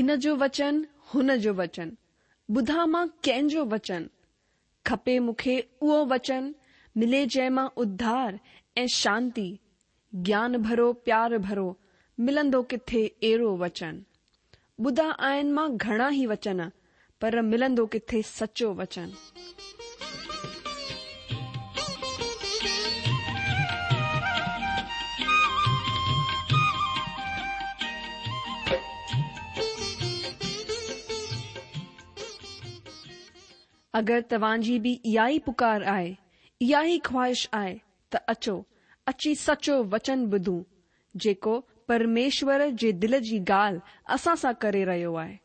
هن جو وچن، هن جو وچن، ٻڌان مان ڪنهن جو وچن؟ کپي مون کي اهو وچن، ملي جنهن مان اڌار ۽ شانتي، گيان ڀرو پيار ڀرو، ملندو ڪٿي اهڙو وچن؟ ٻڌا آهن مان گهڻا ئي وچن، پر ملندو ڪٿي سچو وچن؟ اگر توهان جي به اها ئي پڪار آهي، اها ئي خواهش آهي ته اچو، اچي سچو وچن ٻڌون، جيڪو پرميشور جي دل جي ڳالهه اسان سان ڪري رهيو آهي.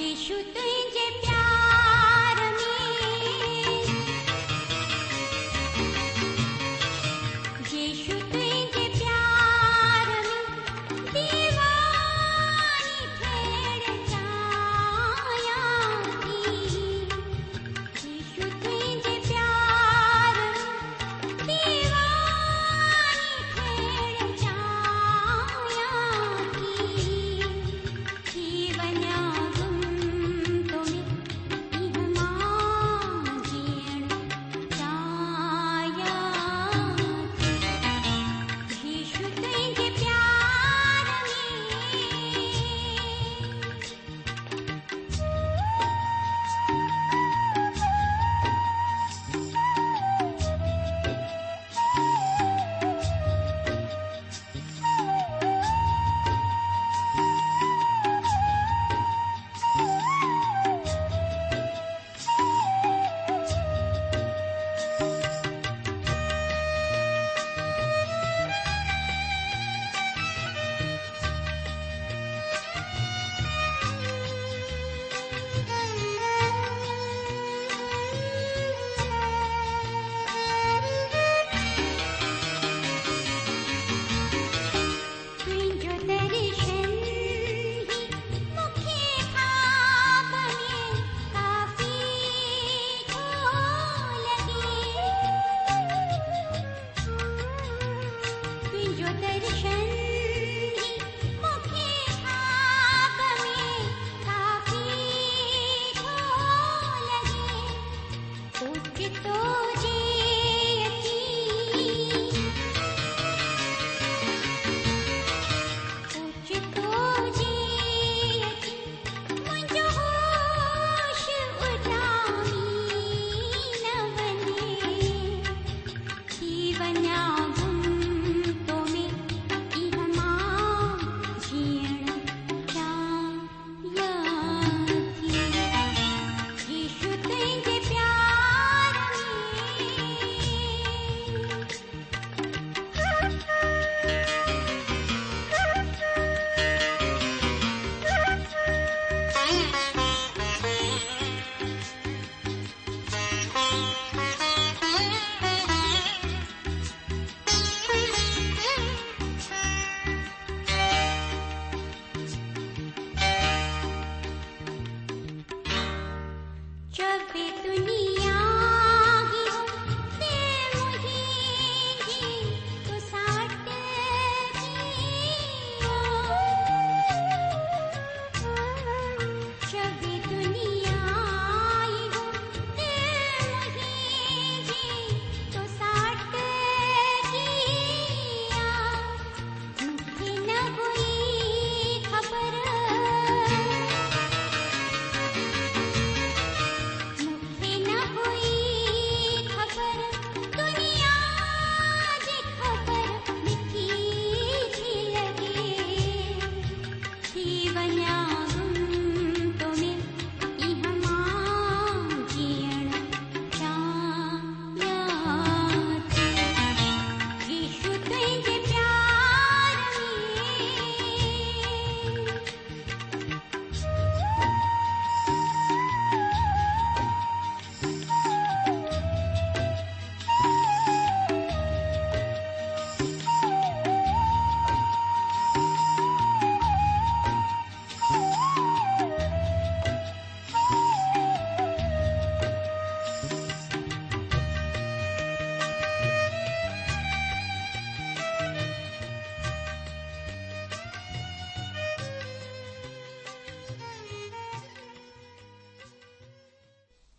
يسوع تنهنجي پيار ۾. يسوع تنهنجي پيار ۾ ديواني ٿيڻ چاهيان ٿي. يسوع تنهنجي پيار ۾ ديواني ٿيڻ چاهيان ٿي. ٿي وڃان گم تو ۾ اها مان جيئڻ چاهيان ٿي. يسوع تنهنجي پيار ۾. تنهنجو درشن ئي مون کي خواب ۾ ڪافي ٿو لڳي. تنهنجو درشن ئي مون کي خواب ۾ ڪافي ٿو لڳي. اوچتو جي اچي اوچتو جي اچي منهنجو هوش اڏامي نه وڃي ٿي وڃان گم تو ۾ اها مان جيئڻ چاهيان ٿي. يسوع تنهنجي پيار ۾. چوي دنيا اهو دل منهنجي تو سان اٽڪي آ. چوي دنيا اهو دل منهنجي تو سان اٽڪي آ. مون کي نه هئي خبر مون کي نه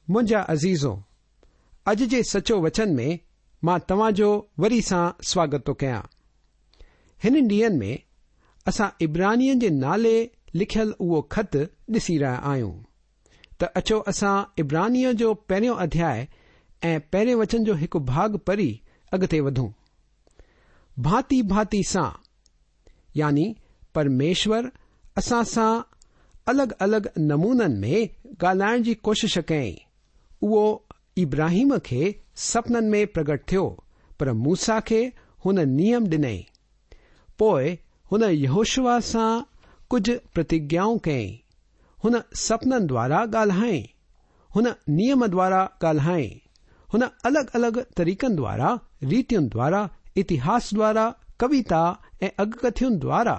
منهنجا عزيزو، اڄ جي سچو وچن ۾ مان توهان جو وري سان سواگت ٿو ڪيان. هنن ڏينهن ۾ اسان عبرانين جي نالي لکيل اهو خط ڏسي رهيا آهيون. ته اچو اسان عبرانين جو پهريون اڌياء ۽ پهرين وچن جو هڪ ڀاڳ پڙهي اڳتي وڌون. ڀانتي ڀانتي سان يعني پرميشور اسان سان الڳ الڳ نمونن ۾ ڳالهائڻ جي ڪوشش ڪيائين. اهو ابراهيم کي سپنن ۾ پرگٽ ٿيو، پر موسيٰ کي هن نيم ڏنائين. پوء هن يهوشوع سان ڪجهه پرتگيائون ڪيائين. هن سپنن دوارا ڳالهائين. هن نيم دوارا ڳالهائين. هن الڳ الڳ طريقن دوارا، ريتين دوارا، اتهاس دوارا، ڪويتا ۽ اڳڪٿين دوارا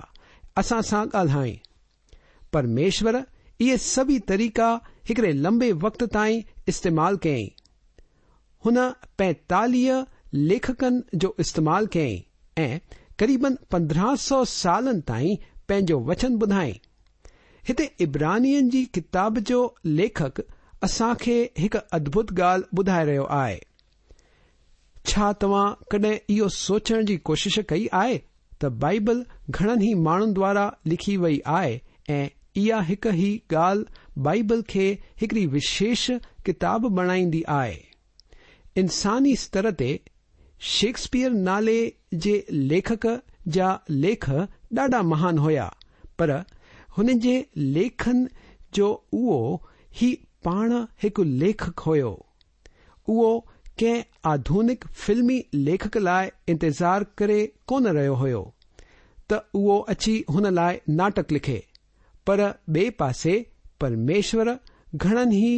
اسان سان ڳالهائين. پرميشور اهي سڀئي طريقا هڪڙي لنبي وقت تائين استعمال ڪيائين. هن 45 ليکڪن جو استعمال ڪيائين ۽ قريبن 1500 سالن تائين پنهنجو وچن ٻڌائين. هتي عبرانين جي ڪتاب جو ليکڪ اسان کي هڪ ادڀت ڳالهه ٻڌائي رهيو آهي. ڇا توهان ڪڏهن اهو سوچڻ جي ڪوشش ڪئي آهي ته بائيبل گهڻن ئي ماڻهن دوارا لکي وئي آهي ۽ اها هڪ ئي ڳالهه بائيبل کي هڪڙي وشيش ڪتاب بڻائيندي آهي؟ انساني ستر تي شيڪسپيئر نالي جي ليکڪ جا ليک ڏاڍا مهان هيا پر هن جي ليکن جو اهو ئي پاڻ هڪ ليکڪ هيو. اهو ڪنهن آڌونڪ فلمي ليکڪ لاء انتظار ڪري ڪونه رهيو هيو ته اهو اچي هن لاء ناٽڪ لکي. پر ٻئي پاسي پرميشور گهڻن ئي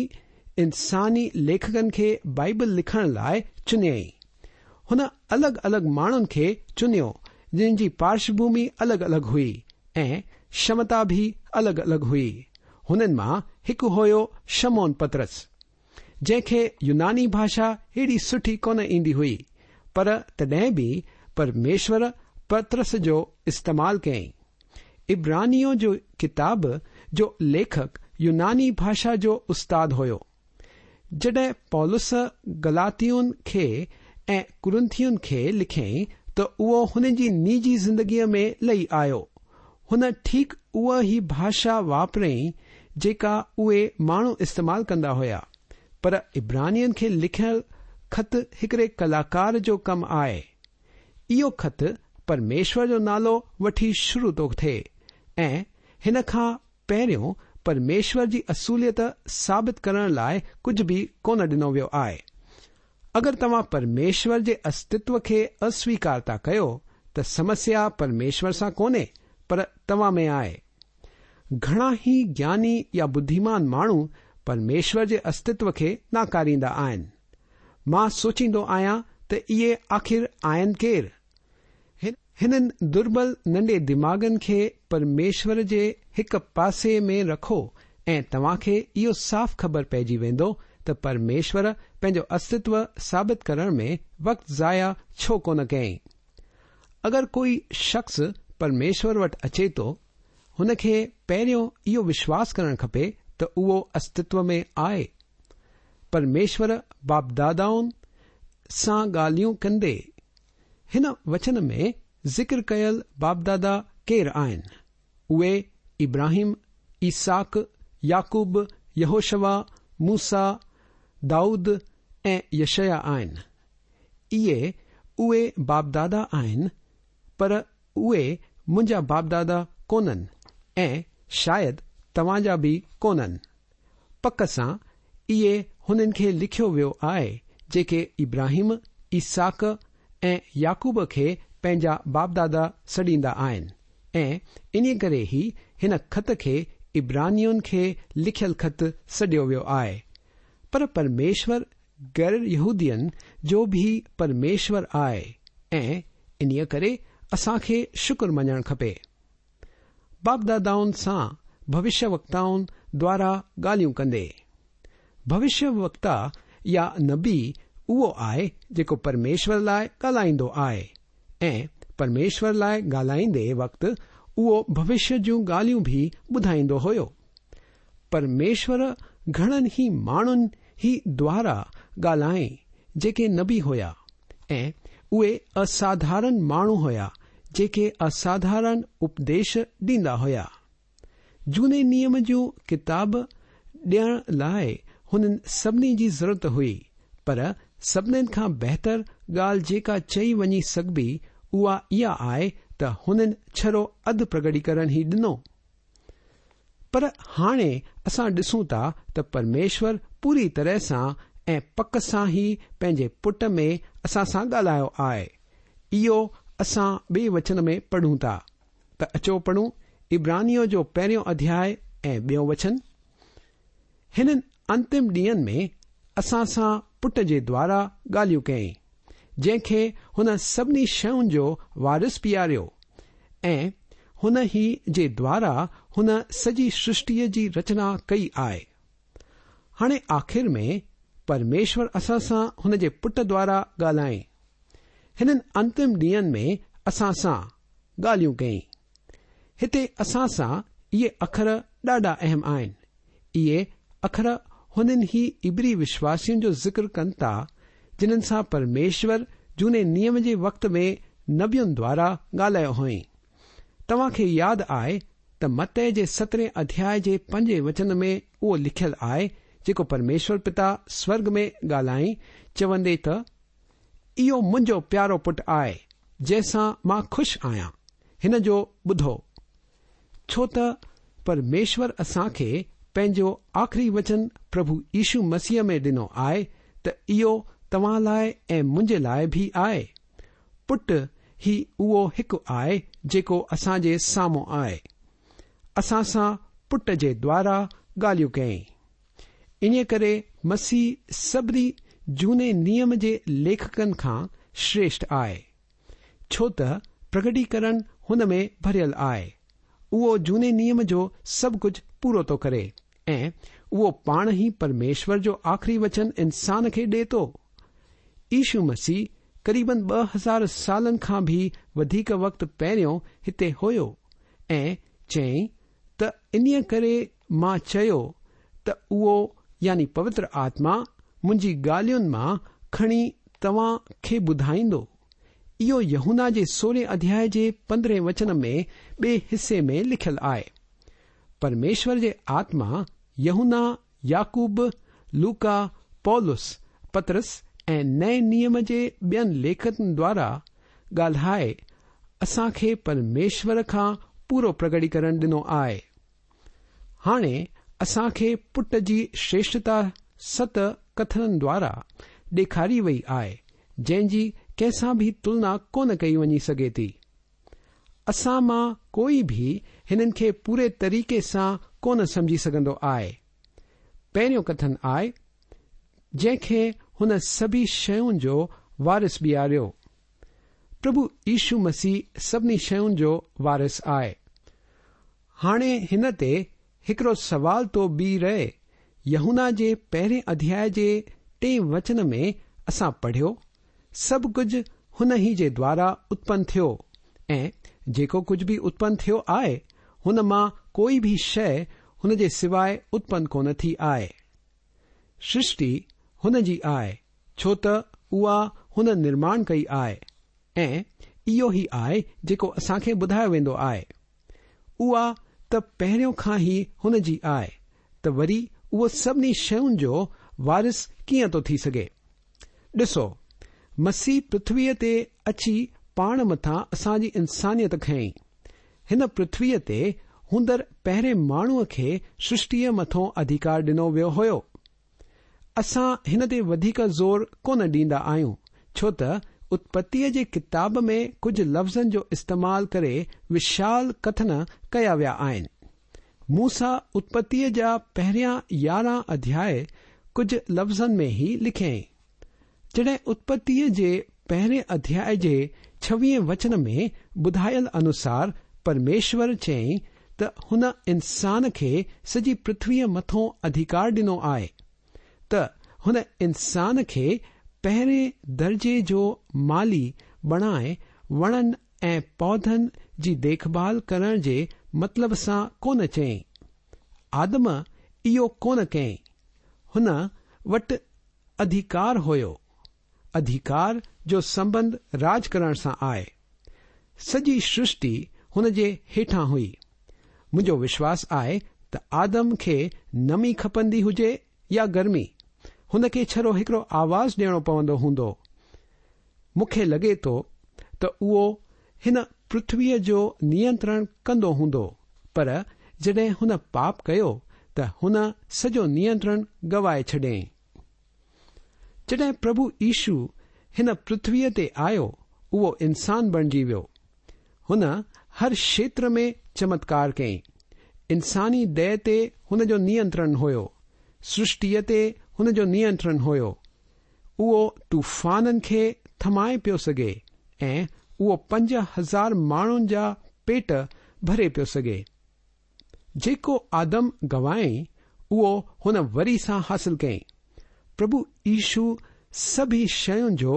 انساني ليکڪن کي بائيبل لکڻ لاء چنيائين. هن الڳ الڳ ماڻهن کي چنيو جن جي پارشڀومي الڳ الڳ هئي ۽ ڪشمتا به الڳ الڳ هئي. هنن مان هڪ هيو شمعون پطرس. جنهن کي يوناني ڀاشا هيڏي سٺي ڪونه ايندي هئي، پر تڏهن به پرميشور پطرس جو استعمال ڪيائين. عبرانيون جو ڪتاب جو ليکڪ يوناني ڀاشا جو استاد هيو. جڏهن پولس گلاتين کي ۽ ڪرنٿين کي لکيائين ته اهو هن جي نجي زندگيء ۾ لهي آيو. هن ٺيڪ اها ئي ڀاشا واپرائي جيڪا اهي ماڻهو استعمال ڪندا هيا. پر عبرانين کي لکيل خط هڪڙي ڪلاڪار جو ڪم آهي. اهو خط پرميشور جو نالو وٺي شروع ٿو ٿئي ۽ هن کان پهريون پرميشور جي اصوليت ثابت ڪرڻ لاء ڪجهه به ڪونه ڏنو ويو آهي. اگر توهان پرميشور جي استتو کي اسويڪار ٿا ڪيو ته سمسيا پرميشور سان ڪونهي پر توهان ۾ آهي. گهڻا ئي گياني يا ٻڌيمان ماڻهو پرميشور جي استتو کي ناڪاريندا آهن. مان سوچيندو آهيان ته اهي آخر آهن ڪير؟ هنن دربل ننڍي دماغن کي پرميشور جي هڪ پاسي ۾ رکو ۽ توهان کي اهو صاف خبر پئجي ويندو ته پرميشور پنهنجو استتو ثابت ڪرڻ ۾ وقت ضايع ڇو ڪونه ڪيائين. اگر ڪوئي شخص پرميشور وٽ اچي ٿو، هن کي پهريون اهو وشواس ڪرڻ کپي ته اهو استتو ۾ آهي. پرميشور باپدادائن سان ڳالهيون ڪندي هن وچن ۾ ذڪر ڪيل باپدادا ڪير آهن؟ اهي ابراهيم، اسحاق، يعقوب، يهوشوع، موسيٰ، دائود ۽ يشعيا آهن. اهي اهي باپدادا آهن، پر اهي منهنجا باپدادا ڪونهن ۽ شايد توهان جا به ڪونهن. پڪ سان اهي هنن کي لکيو ويو آهي جيڪي ابراهيم، اسحاق ۽ يعقوب کي پنهنجا باپدادا سڏيندا آهن ۽ انهي ڪري ئي هن خط کي عبرانين کي لکيل خط سڏيو ويو آهي. پر پرميشور غير يهودين جو به پرميشور آهي ۽ انهي ڪري اسان کي شڪر مڃڻ کپي. باپدادائن سان ڀوشيه وڪتائن دوارا ڳالهيون ڪندي. ڀوشيه وڪتا يا نبي اهو آهي جيڪو پرميشور لاء ڳالهائيندو آهي ۽ پرميشور لاء ڳالهائيندي وقت اهو ڀوشيه جون ڳالهيون به ٻڌائيندو هيو. پرميشور گهڻن ئي ماڻهن هي دوارا ڳالهائين جيڪي نبي هيا ۽ اهي اساڌارن ماڻهو هيا جيڪي اساڌارن اپديش ڏيندا هيا. جهوني نيم جون ڪتاب ڏيڻ لاء هنن سڀني جي ضرورت هئي، پر سڀنين کان بهتر ڳالهه جيڪا چئي وڃي سگهبي اها اها آهي ته هنن ڇڙو اڌ پرگٽيڪرڻ ئي ڏنو. پر هاڻي اسان ڏسون ٿا ته پرميشور پوري طرح سان ۽ پڪ سان ئي پنهنجي پٽ ۾ اسان سان ڳالهايو آهي. اهو اسان ٻئي وچن ۾ پڙهون ٿا. ته اچو پڙهون عبرانيون جو پهريون اڌياء ۽ ٻيون وچن. هنن انتم ڏينهن ۾ اسان سان پٽ جي دوارا ڳالهيون ڪيائين، جنهن کي هن سڀني شين جو وارث بيهاريو ۽ هن ئي جي دوارا هن سڄي سرشٽيء جي رچنا ڪئي آهي. هاڻي آخر ۾ پرميشور اسان سان هن جي پٽ دوارا ڳالهائين. هنن انتم ڏينهن ۾ اسان سان ڳالهيون ڪيائين. هتي اسان سان اهي اکر ڏاڍا اهم آهن. اهي اکر هنن ئي عبري وشواسين جو ذڪر ڪن ٿا جنن سان پرميشور جهوني نيم جي وقت ۾ نبين دوارا ڳالهايو هئائين. توهان کي ياد آهي ته متي جي سترهين اڌياء جي پنجين وچن ۾ اهو لکيل آهي جيڪو پرميشور پتا سورڳ ۾ ڳالهائين چوندي ته، اهو منهنجو پيارو پٽ آهي، جنهن سان مان خوش آهيان، هن جو ٻڌو. ڇو ته پرميشور اسان کي پنهنجو آخري وچن پرڀو يشو مسيح ۾ ڏنو آهي ته اهو توهان لاء ۽ منهنجي لاء به آهي. پٽ ئي اهو هڪ آهي جيڪو اسان جي سامهون آهي. اسان سان پٽ جي دوارا ڳالهيون ڪيائين. انهيء ڪري مسيح سڀني جهوني نيم جي ليکڪن کان شريشٺ آهي، ڇو ته پرگٽيڪرڻ هن ۾ ڀريل آهي. اهو جهوني نيم جو سڀ ڪجهه پورو ٿو ڪري ۽ اهو پاڻ ئي پرميشور جو آخري وچن انسان کي ڏئي ٿو. يشو مسيح قريبن 2000 سالن کان به وڌيڪ وقت پهريون هتي هيو ۽ چيائين ته انهيء ڪري مان چيو ته اهو يعني پوتر آتما منهنجي ڳالهين مان کڻي توهان کي ٻڌائيندو. اهو يوحنا جي سورهين اڌياء جي پندرهين وچن ۾ ٻئي حصي ۾ لکيل آهي. پرميشور جي آتما يوحنا، يعقوب، لوڪا، پولس، پطرس ۽ نئين نيم جي ٻين ليکڪن دوارا ڳالهائي اسان کي پرميشور کان پورو پرگٽيڪرڻ ڏنو آهي. هاڻي اسان کي پٽ جي شريشٺتا ست ڪٿنن دوارا ڏيکاري وئي آهي جنهن جي ڪنهن سان به تلنا ڪونه ڪئي وڃي سگهي ٿي. اسان مان ڪوئي به هنن کي پوري طريقي سان ڪونه سمجهي سگهندو آهي. پهريون ڪٿن آهي، جنهن کي هن سڀي شين جو وارث بيهاريو. پرڀو يشو مسيح سڀني شين جو وارث آهي. هاڻي هن تي هڪڙو سوال ٿو بيهي رهي، يوحنا جي پهرين اڌياء جي ٽئين وچن ۾ اسان پڙهيو، سڀ ڪجهه هن ئي جي دوارا اتپن ٿيو ۽ جيڪو ڪجهه به اتپن ٿيو آهي، هن مان ڪوئي به شيء هن جي سواء اتپن ڪونه ٿي آهي. سرشٽي هن جي آهي، ڇو ته اها هن نرماڻ ڪئي آهي ۽ اهو ئي آهي جيڪو اسان کي ٻڌايو ويندو آهي. اها ته پهريون کان ئي هن جي آهي ته وري اهو سڀني شين جو وارث ڪيئن ٿو ٿي سگهي؟ ڏسو، مسيح پرٿويء تي اچي پاڻ مٿان اسان جي انسانيت کنئي. هن پرٿويء تي هوندڙ پهرين ماڻهوء کي سرشٽيء مٿون اڌيڪار ڏنو ويو هيو. اسان هن تي وڌيڪ زور ڪونه ڏيندا آهيون، ڇو ته اتپتيء جي ڪتاب ۾ ڪجهه لفظن جو استعمال ڪري وشال ڪٿن ڪيا ويا آهن. موسيٰ اتپتيء جا پهريان 11 اڌياء ڪجهه لفظن ۾ ئي لکيائين. جڏهن اتپتيء جي پهرين اڌياء جي ڇويهين وچن ۾ ٻڌايل انوسار پرميشور چيائين ته هن انسان کي سڄي پرٿويء مٿون اڌيڪار ڏنو آهي ته هن انسان کي پهرين درجي جو مالهي بڻائي وڻن ۽ پوڌن جي ديکڀال ڪرڻ جي مطلب سان ڪونه چيائين. آدم اهو ڪونه ڪيائين. هن وٽ اڌيڪار هيو. اڌيڪار جو سنٻنڌ راڄ ڪرڻ سان آهي. سڄي سرشٽي هن جي هيٺان هئي. منهنجو وشواس آهي ته آدم کي نمي کپندي هجي يا گرمي، هن کي ڇڙو هڪڙو آواز ڏيڻو پوندو هوندو. مون کي لڳي ٿو ته اهو هن پرٿويء جو نينترڻ ڪندو هوندو، پر جڏهن هن پاپ ڪيو ته هن سڄو نينترڻ گوائي ڇڏيائين. جڏهن پرڀو يشو هن پرٿويء تي آيو، اهو انسان بڻجي ويو. هن هر کيتر ۾ چمتڪار ڪيائين. انساني ديهه تي هن جو نينترڻ هيو. سرشٽيء تي هن جو نينترڻ هيو. اهو طوفانن کي ٿمائي پيو سگهي ۽ اهو 5000 ماڻهن جا پيٽ ڀري پيو سگهي. جيڪو آدم گوايائين اهو هن وري سان حاصل ڪيائين. پرڀو يشو سڀئي شين جو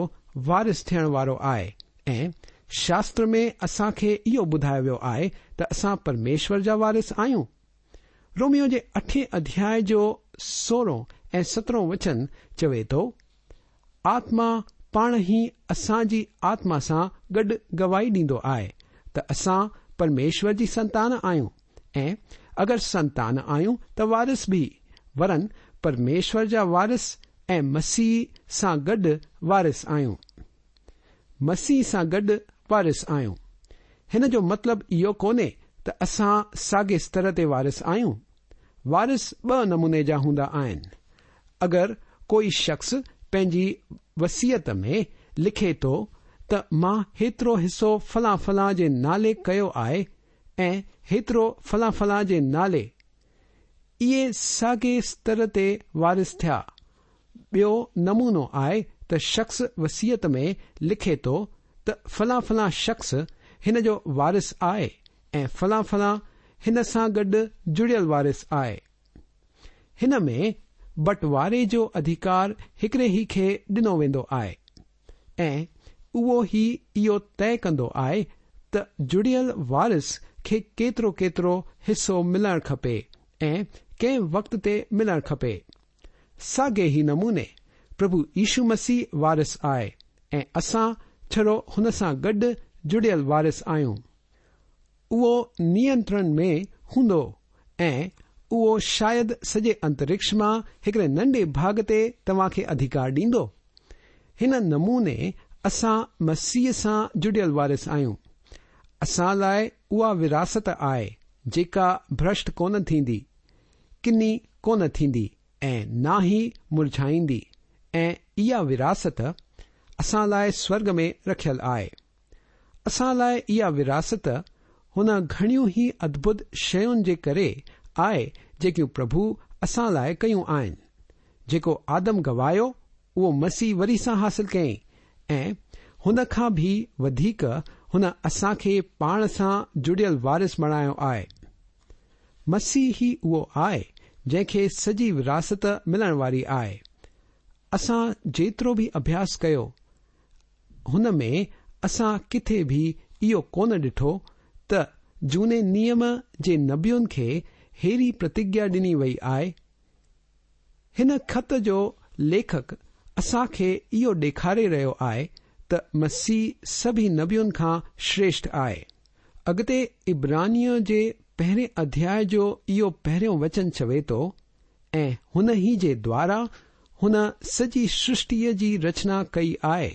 وارث ٿيڻ وارو آهي ۽ شاستر ۾ اسان کي اهو ٻڌايو ويو آهي ته اسان پرميشور جا وارث آهيون. روميو جي اٺين اڌياء جو سورهون ۽ سترهون وچن چوي ٿو، آتما پاڻ ئي اسان جي آتما سان گڏ گواهي ڏيندو آهي ته اسان پرميشور جي سنتان آهيون ۽ اگر سنتان آهيون ته وارث به، ورن پرميشور جا وارث ۽ مسيح سان گڏ وارث آهيون. مسيح سان گڏ وارث آهيون. هن جو مطلب اهو ڪونهي ته اسان ساڳي ستر تي وارث آهيون. وارث ٻه نموني جا هوندا آهن. اگر ڪوئي شخص پنهنجي وصيت ۾ لکي ٿو ته مان هيترو حصو فلان فلان جي نالي ڪيو آهي ۽ هيترو فلان فلان جي نالي، اهي ساڳي ستر تي وارث ٿيا. ٻيو نمونو آهي ته شخص وصيت ۾ لکي ٿو ته فلان فلان شخص هن جو وارث آهي ۽ فلان فلان هن سان گڏ جڙيل وارث آهي. هن ۾ بٽواري جو اڌيڪار هڪڙي ئي کي ڏنو ويندو آهي ۽ اهو ئي اهو طئي ڪندو آهي ته جڙيل وارث کي ڪيترو ڪيترو حصو ملڻ کپي ۽ ڪنهن وقت تي ملڻ کپي. ساڳئي ئي نموني پرڀو يشو مسيح وارث آهي ۽ اسان ڇڙو هن سان گڏ جڙيل وارث آهيون. اهو نينترڻ ۾ هوندو ۽ اهو شايد سڄي انترڪش مان هڪڙي ننڍي ڀاڳ تي توهان کي اڌيڪار ڏيندو. هن نموني اسان مسيح سان جڙيل وارث آهيون. اسان لاء اها وراثت آهي جيڪا ڀرشٽ ڪونه ٿيندي. ڪني ڪونه ٿيندي ۽ نه ئي مرجهائيندي ۽ اها وراثت اسان لاء سورڳ ۾ رکيل آهي. اسان لاء اها وراثت هن گهڻيون ئي ادڀت شين جي ڪري آهي جيڪيون پرڀو اسان لاء ڪيون آهن. جيڪو آدم گوايو اهو مسيح وري سان حاصل ڪيائين ۽ هن کان به وڌيڪ هن اسان کي پاڻ سان جڙيل وارث بڻايو آهي. مسيح ئي اهو آهي جنهن کي سڄي وراثت ملڻ واري آهي. اسان جيترو به اڀياس ڪيو هن ۾ اسان ڪٿي به اهو ڪونه ڏٺو ته جهوني نيم جي نبين کي ههڙي پرتگيا ڏني وئي آهي. هن خط جو ليکڪ اسان کي اهو ڏيکاري رهيو آهي ته مسيح سڀئي نبين کان شريشٺ آهي. اڳتي عبرانين جي پهرين اڌياء جو اهو پهريون وچن چوي ٿو، ۽ هن ئي جي دوارا هن سڄي سرشٽيء جي رچنا ڪئي آهي.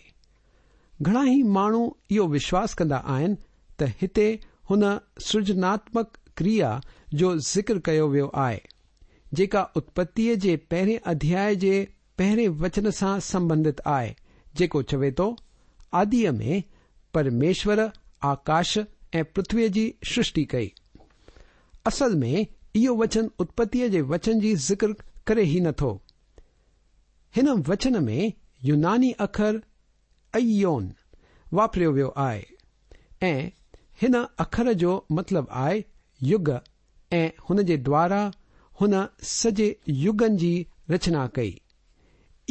گهڻا ئي ماڻهو اهو وشواس ڪندا آهن ته هتي هن سرجناتمڪ ڪريا جو ذڪر ڪيو ويو آهي، جيڪا اتپتيء جي پهرين اڌياء جي پهرين وچن سان سنبنڌت آهي، جيڪو چوي ٿو، آديء ۾ پرميشور آڪاش ۽ پرٿويء جي سرشٽي ڪئي. اصل ۾ اهو وچن اتپتيء جي وچن جي ذڪر ڪري ئي نه ٿو. هن وچن ۾ يوناني اکر ايون واپريو ويو آهي ۽ هن اکر جو مطلب آهي يگ ۽ هن جي دوارا هن سڄي يگن جي رچنا ڪئي.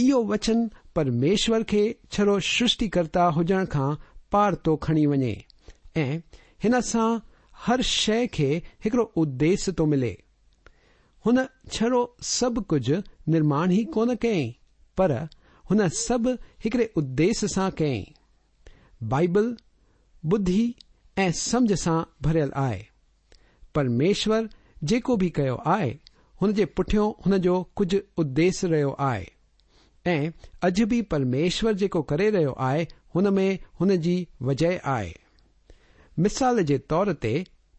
اهو وچن پرميشور کي ڇڙو سرشٽيڪرتا هجڻ کان پار ٿو کڻي وڃي ۽ هن سان هر شيء کي هڪڙو اديس ٿو ملي. هن ڇڙو سڀ ڪجهه نرماڻ ئي ڪونه ڪيائين پر هن سڀ هڪڙي اديش سان ڪيائين. بائيبل ٻڌي ۽ سمجهه سان ڀريل آهي. پرميشور جيڪو به ڪيو آهي، هن جي پٺيون هن جو ڪجهه اديش رهيو آهي ۽ اڄ به پرميشور جيڪو ڪري رهيو آهي، هن ۾ هن جي وجهه آهي. مثال جي طور تي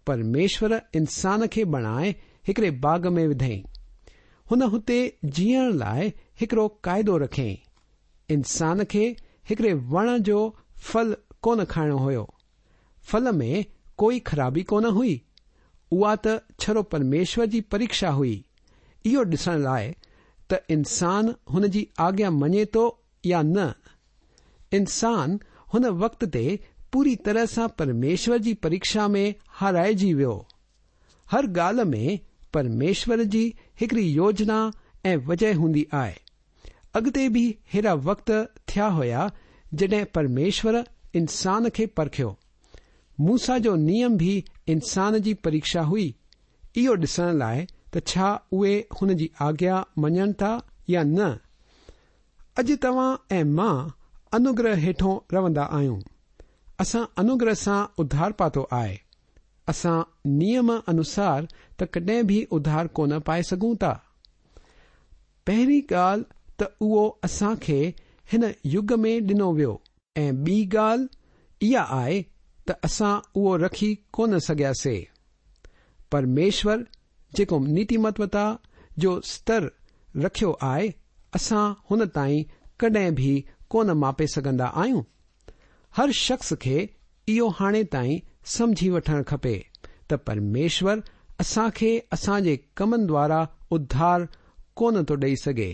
پرميشور انسان کي بڻائي هڪڙي باغ ۾ وڌئين. هن هتي جيئڻ لاء هڪڙو قاعدو رکيائين. انسان کي هڪڙي وڻ جو ڦل ڪونه کائڻو هيو. ڦل ۾ ڪوئي خرابي ڪونه هئي. اها ته ڇڙو پرميشور جي پريڪشا هئي، اهو ڏسڻ لاء ته انسان هن جي آگيا مڃي ٿو يا نه. انسان هن وقت تي پوري طرح سان پرميشور جي پريڪشا ۾ هارائجي ويو. هر ڳالهه ۾ پرميشور جي هڪڙي يوجنا ۽ وجهه هوندي آهي. اڳتي به ههڙا وقت ٿيا هيا جڏهن پرميشور انسان کي پرکيو. موسيٰ جو نيم به انسان جي پريڪشا هئي، اهو ڏسڻ لاء ته ڇا اهي هن جي آگيا مڃن ٿا يا نه. اڄ توهان ۽ مان انوگره هيٺون روندا آهيون. اسان انوگره سان اڌار پاتو آهي. اسان نيم انوسار ته ڪڏهن به اڌار ڪونه پائي سگهون ٿا. پهرين ڳالهه ته اهو اسان کي هن يگ ۾ ڏنو ويو. ۽ ٻي ڳالهه اها آهي ته اسان اهو رکي ڪونه سگهياسي. پرميشور جيڪو نيتيمتوتا جو ستر رکيو آهي، اسان هن تائين ڪڏهن به ڪونه ماپي سگهندا آهيون. هر شخص کي اهو هاڻي تائين سمجهي وٺڻ کپي ته پرميشور اسان کي اسان جي ڪمن دوارا اڌار ڪونه ٿو ڏئي سگهي.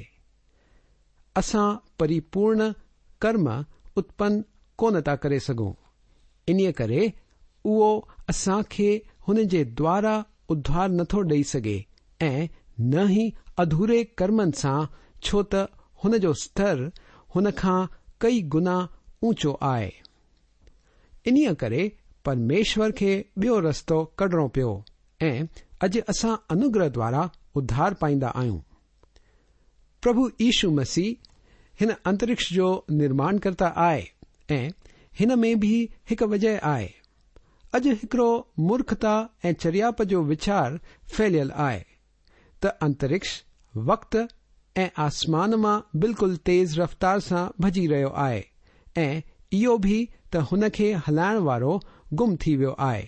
اسان پريپورڻ ڪرم اتپن ڪونه ٿا ڪري سگهون. انهيء ڪري اهو اسان کي هن جي دوارا اڌار نٿو ڏئي سگهي ۽ نه ئي اڌوري ڪرمن سان ڇو ته هن جو ستر هن کان ڪئي گنا اوچو آهي. انهيء ڪري پرميشور کي ٻيو رستو ڪڍڻو پيو ۽ اڄ اسان انوگره دوارا اڌار پائيندا آهيون. پرڀو يشو مسيح هن انترڪش جو نرماڻڪرتا آهي ۽ هن ۾ به هڪ وجهه آهي. اڄ هڪڙو مورکتا ۽ چريائپ جو ويچار ڦهليل آهي ته انترڪش وقت ۽ آسمان مان بلڪل تيز رفتار سان ڀڄي رهيو آهي ۽ اهو به ته هن کي هلائڻ وارو گم ٿي ويو آهي.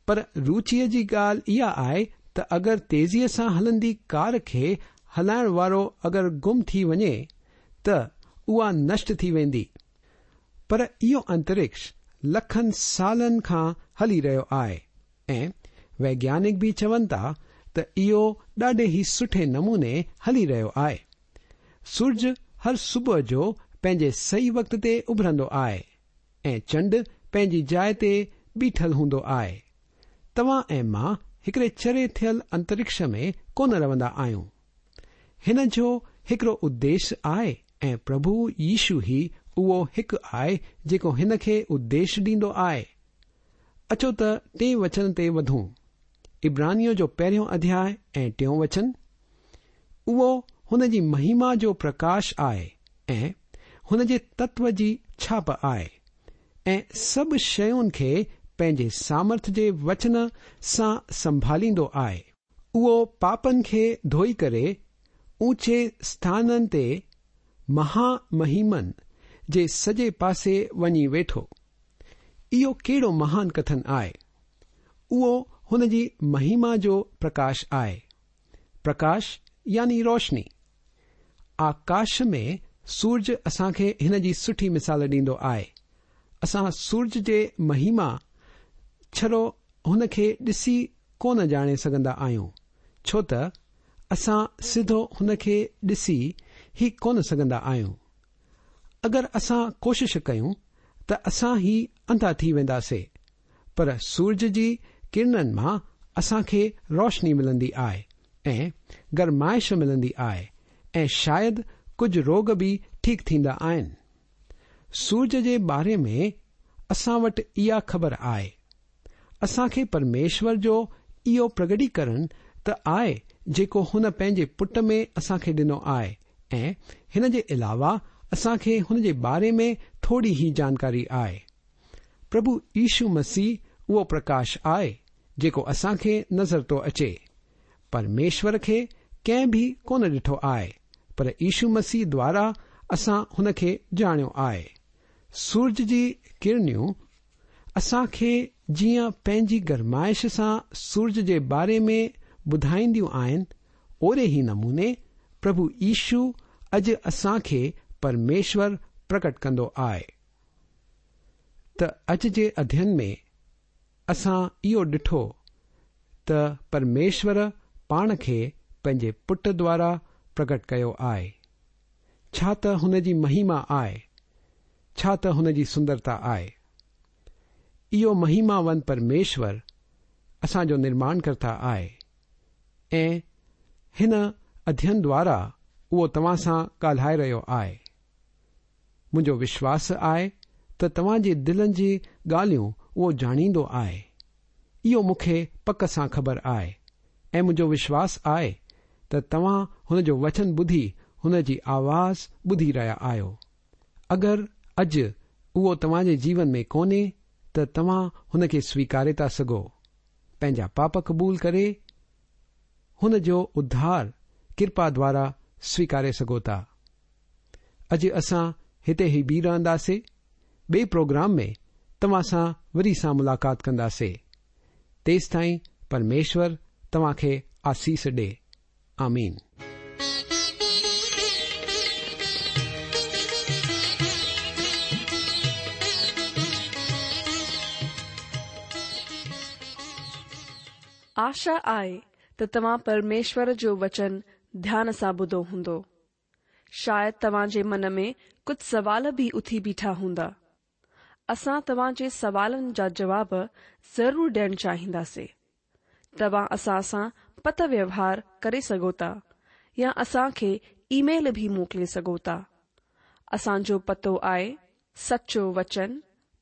پر روچيء جي ڳالهه اها آهي ته اگر تيزيء سان هلندي ڪار کي هلائڻ وارو اگر گم ٿي وڃي ته اها نشٽ ٿي ويندي. پر اهو انترڪش لکن سالن کان هلي رهيو آهي ۽ ويگيانڪ به چون ٿا ته اهو ڏاڍي ئي سٺي نموني هلي رهيو آهي. سورج هر صبح جو پنهنجي صحيح وقت تي اڀرندو آهي ۽ چنڊ پنهنجي جاء تي بيٺل هوندو آهي. توهان ۽ مان هڪڙي چري ٿيل انترڪش ۾ ڪونه روندا آهيون. هن جو هڪڙو اديش آهي ۽ پرڀو يشو ئي اهو هڪ آهي جيڪو هن کي اديش ڏيندو آهي. اچو ته ٽئين وچن تي وڌون. عبرانيون جو پهريون اڌياء ۽ ٽيون وچن، اهو هن جي مهما جو پرڪاش آهي ۽ هن جي تتو جي ڇاپ آهي ۽ سڀ شين کي پنهنجي سامرٿ جي وچن سان سنڀاليندو آهي. اهو پاپن کي ڌوئي ڪري اوچي اسٿانن تي مها مهيمن جي سڄي پاسي وڃي ويٺو. اهو ڪهڙو مهان ڪٿن آهي! اهو هن جي مهما جو پرڪاش آهي. پرڪاش يعني روشني. آڪاش ۾ سورج اسان کي هن جي سٺي مثال ڏيندو آهي. اسان سورج جي مهما ڇڙو هن کي ڏسي ڪونه ڄاڻي سگهندا آهيون، ڇو ته اسان سڌو هن کي ڏسي ئي ڪونه سگهندا آهيون. اگر اسان ڪوشش ڪيون ته اسان ئي انڌا ٿي وينداسي، پر سورج جي ڪرڻن مان اسان کي روشني ملندي آهي ۽ گرمائش ملندي آهي ۽ شايد ڪجهه روڳ به ٺيڪ ٿيندا آهن. سورج جي باري ۾ اسان وٽ اها خبر آهي. اسان کي پرميشور جو اهو پرگٽيڪرڻ ته آهي جيڪو هن پنهنجي پٽ ۾ اسان کي ڏنو آهي ۽ هن جي علاوه اسان کي هن جي باري ۾ ٿوري ئي جانڪاري آهي. پرڀو يشو مسيح اهو پرڪاش آهي جيڪو اسان کي نظر ٿو اچي. پرميشور کي ڪنهن به ڪونه ڏٺو آهي پر يشو مسيح دوارا اسان هن کي ڄاڻيو آهي. سورج جي ڪرنيون اسان کي جيئن پنهنجي گرمائش سان سورج جي باري ۾ ٻڌائينديون آهن، اوهڙي ئي نموني پرڀو يشو اڄ اسان کي پرميشور پرڪٽ ڪندو آهي. ته اڄ جي اڌين ۾ اسان اهو ڏٺو ته پرميشور پاڻ کي پنهنجي پٽ دوارا پرڪٽ ڪيو آهي. ڇا ته هن جي مهيما آهي! ڇا ته هن جي سندرتا آهي! اهو مهيماون پرميشور اسان جو نرماڻڪرتا آهي ۽ هن اڌين دوارا اهو توهان سان ڳالهائي رهيو آهي. منهنجو وشواس آهي ته توهان جي دلن جي ڳالهيون اهو ڄاڻيندو آهي. اهو مون کي پڪ سان خبر آهي ۽ منهنجو وشواس آهي ته توهان هن جو وچن ٻڌي هن جي آواز ٻڌي رهيا آهيو. اگر اڄ اهو توهان جي جيون ۾ ڪونهي ته توهان هن کي سويڪاري ٿا سگهو. پنهنجا پاپ قبول ڪري هن جو اڌار ڪرپا دوارا سويڪاري سگهو ٿا. اڄ اسان هتي ئي بيهي رهنداسي. ٻئي پروگرام ۾ توهان سان وري سان ملاقات ڪنداسي. تيستائين پرميشور توهان کي آسيس ڏي. آمين. آشا آهي ته توهان پرميشور جو وچن ڌيان سان ٻڌو هوندو. شايد توهان جي من ۾ ڪجهه سوال به اٿي بيٺا هوندا. اسان توهان جي سوالن جا جواب ضرور ڏيڻ چاهينداسي. توهان اسان سان پتر ويوهار ڪري سگهو ٿا يا اسان کي اي ميل به موڪلي سگهو ٿا. اسان جو پتو آهي سچو وچن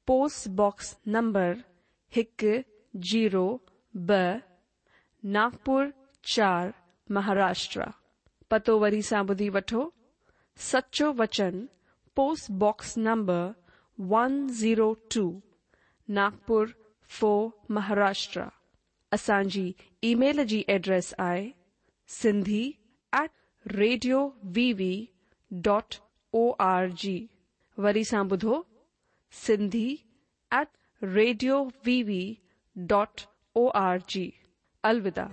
پوسٽ باڪس نمبر هڪ زيرو ٻه ناگپور چار مهاراشٽرا. پتو وري سان ٻڌي وٺو، سچو وچن post box number one zero two Nagpur four Maharashtra. اسان جي اي ميل جي ايڊريس آهي Sindhi at radio V V dot O R G وري سان ٻڌو Sindhi at radio V V dot O R G. الوداع.